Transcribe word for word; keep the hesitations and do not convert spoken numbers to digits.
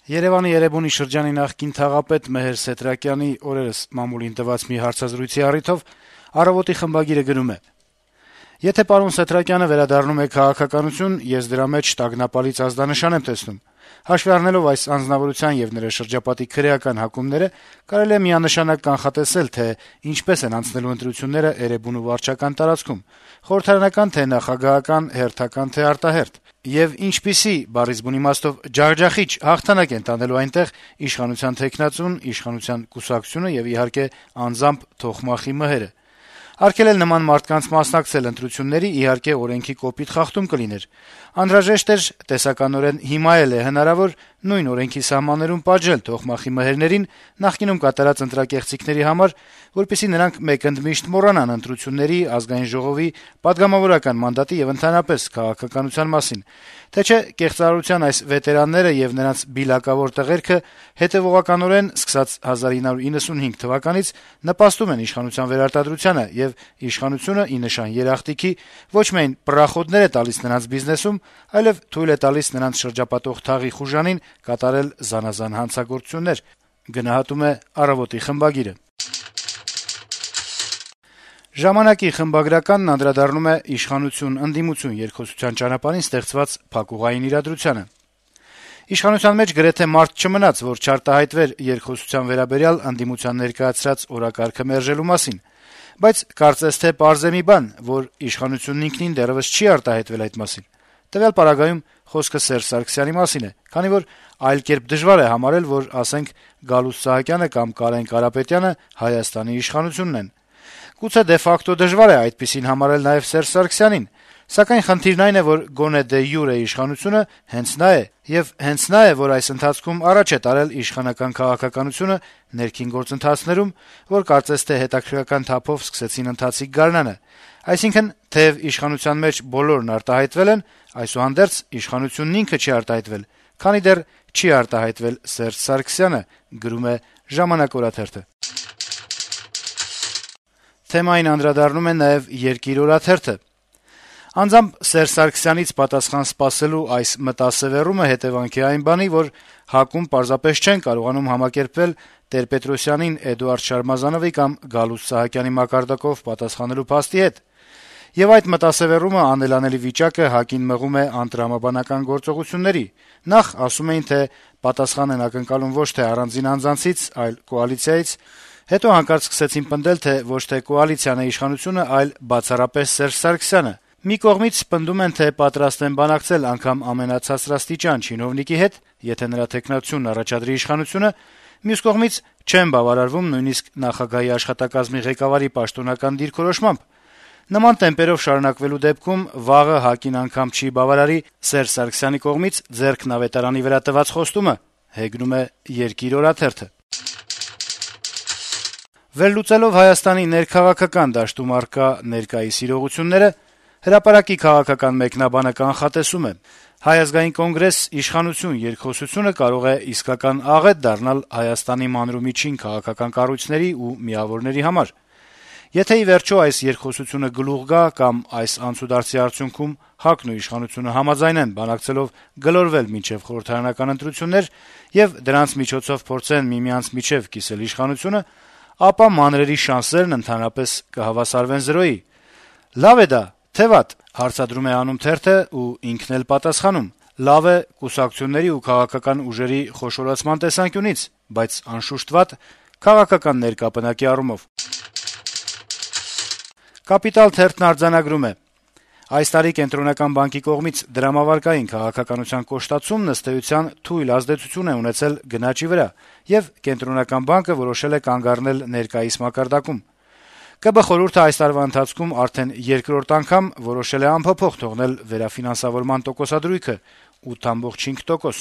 Երեւանի Էրեբունի շրջանի նախկին թաղապետ Մեհեր Սետրակյանի օրերս մամուլին տված մի հարցազրույցի առիթով «Առավոտ»-ի խմբագիրը գրում է. - «Եթե պարոն Սետրակյանը վերադառնում է քաղաքականություն, ես դրա մեջ տագնապալից ազդանշան եմ տեսնում: Հաշվի առնելով այս անձնավորության եւ նրա շրջապատի քրեական հակումները, կարելի է միանշանակ կանխատեսել, թե ինչպես են անցնելու ընտրությունները Էրեբունու վարչական տարածքում՝ խորհրդարանական թե նախագահական, հերթական թե արտահերթ, եւ ինչպիսի, բառից բուն իմաստով, ջախջախիչ հաղթանակ են տանելու այնտեղ իշխանության թեկնածուն, իշխանության կուսակցությունը եւ, իհարկե, անձամբ Թոխմախի մհերը: Արգելել նման մարդկանց մասնակցել ընտրությունների, իհարկե, օրենքի կոպիտ խախտում կլիներ: Անհրաժեշտ էր, տեսականորեն հիմա էլ է հնարավոր, նույն օրենքի սահմաններում պատժել Թոխմախի մհերներին նախկինում կատարած ընտրակեղծիքների համար, որպեսզի նրանք մեկընդմիշտ մոռանան ընտրությունների, Ազգային ժողովի, պատգամավորական մանդատի եւ ընդհանրապես քաղաքականության մասին: Թե չէ կեղծարարության այս վետերանները եւ նրանց բիլակավոր տղերքը հետեւողականորեն, սկսած հազար ինը հարյուր իննսունհինգ թվականից, նպաստում են իշխանության վերարտադրությանը, եւ իշխանությունը, ի նշան երախտիքի, ոչ միայն պռախոդներ է տալիս նրանց բիզնեսում, այլեւ թույլ է տալիս նրանց շրջապատող թաղի խուժանին կատարել զանազան հանցագործություններ»: «Ժամանակ»-ի խմբագրականն անդրադառնում է իշխանություն-ընդդիմություն երկխոսության ճանապարհին ստեղծված փակուղային իրադրությանը. - «Իշխանության մեջ գրեթե մարդ չմնաց, որ չարտահայտվեր երկխոսության վերաբերյալ ընդդիմության ներկայացրած օրակարգը մերժելու մասին: Բայց կարծես թե պարզ է մի բան, որ իշխանությունն ինքնին դեռեւս չի արտահայտվել այդ մասին: Տվյալ պարագայում խոսքը Սերժ Սարգսյանի մասին է, քանի որ այլ կերպ դժվար է համարել, որ, ասենք, Գալուստ Սահակյանը կամ Կարեն Կարապետյանը Հայաստանի իշխանությունն են: Գուցե դե ֆակտո դժվար է այդպիսին համարել նաեւ Սերժ Սարգսյանին, սակայն խնդիրն այն է, որ գոնե դե յուրե իշխանությունը հենց նա է, եւ հենց նա է, որ այս ընթացքում առաջ է տարել իշխանական քաղաքականությունը ներքին գործընթացներում, որ կարծես թե հետաքրքրական թափով սկսեցին ընթացիկ գարնանը: Այսինքն, թեեւ իշխանության մեջ բոլորն արտահայտվել են, այսուհանդերձ իշխանությունն ինքը չի արտահայտվել, քանի դեռ չի արտահայտվել Սերժ Սարգսյանը»: Թեմային անդրադառնում է նաեւ «Երկիր» օրաթերթը. - «Անձամբ Սերժ Սարգսյանից պատասխան սպասելու այս մտասեւեռումը հետեւանք է այն բանի, որ ՀԱԿ-ում պարզապես չեն կարողանում համակերպվել Տեր-Պետրոսյանին Էդուարդ Շարմազանովի կամ Գալուստ Սահակյանի մակարդակով պատասխանելու փաստի հետ: Եվ այդ մտասեւեռումը անելանելի վիճակը ՀԱԿ-ին մղում է անտրամաբանական գործողությունների: Նախ ասում էին, թե պատասխան են ակնկալում ոչ թե առանձին անձանցից, այլ կոալիցիայից: Հետո հանկարծ սկսեցին պնդել, թե ոչ թե կոալիցիան է իշխանությունը, այլ բացառապես Սերժ Սարգսյանը: Մի կողմից պնդում են, թե պատրաստ են բանակցել անգամ ամենացածրաստիճան չինովնիկի հետ, եթե նրա թեկնածությունն առաջադրի իշխանությունը, մյուս կողմից չեն բավարարվում նույնիսկ նախագահի աշխատակազմի ղեկավարի պաշտոնական դիրքորոշմամբ: Նման տեմպերով շարունակվելու դեպքում վաղը ՀԱԿ-ին անգամ չի բավարարի Սերժ Սարգսյանի կողմից ձեռքն ավետարանի վրա տված խոստումը»: Վերլուծելով Հայաստանի ներքաղաքական դաշտում առկա ներկայիս իրողությունները, «Հրապարակ»-ի քաղաքական մեկնաբանը կանխատեսում է. - «Հայ ազգային կոնգրես – իշխանություն երկխոսությունը կարող է իսկական աղետ դառնալ Հայաստանի մանրումիջին քաղաքական կառույցների ու միավորների համար: Եթե, ի վերջո, այս երկխոսությունը գլուխ գա կամ այս անցուդարձի արդյունքում ՀԱԿ-ն ու իշխանությունը համաձայնեն բանակցելով գլորվել մինչեւ խորհրդարանական ընտրություններ եւ դրանց միջոցով փորձեն միմյանց միջեւ կիսել իշխանությունը, ապա մանրերի շանսերն ընդհանրապես կհավասարվեն զրոյի: Լավ է դա, թե վատ, հարցադրում է անում թերթը ու ինքն էլ պատասխանում. լավ է կուսակցությունների ու քաղաքական ուժերի խոշորացման տեսանկյունից, բայց անշուշտ վատ քաղաքական ներկա պնակի առումով»: «Կապիտալ» թերթն արձանագրում է. - «Այս տարի Կենտրոնական բանկի կողմից դրամավարկային քաղաքականության կոշտացումն, ըստ էության, թույլ ազդեցություն է ունեցել գնաճի վրա, եւ Կենտրոնական բանկը որոշել է կանգ առնել ներկայիս մակարդակում: ԿԲ խորհուրդը այս տարվա ընթացքում արդեն երկրորդ անգամ որոշել է անփոփոխ թողնել վերաֆինանսավորման տոկոսադրույքը՝ ութ կoma պինգ տոկոս: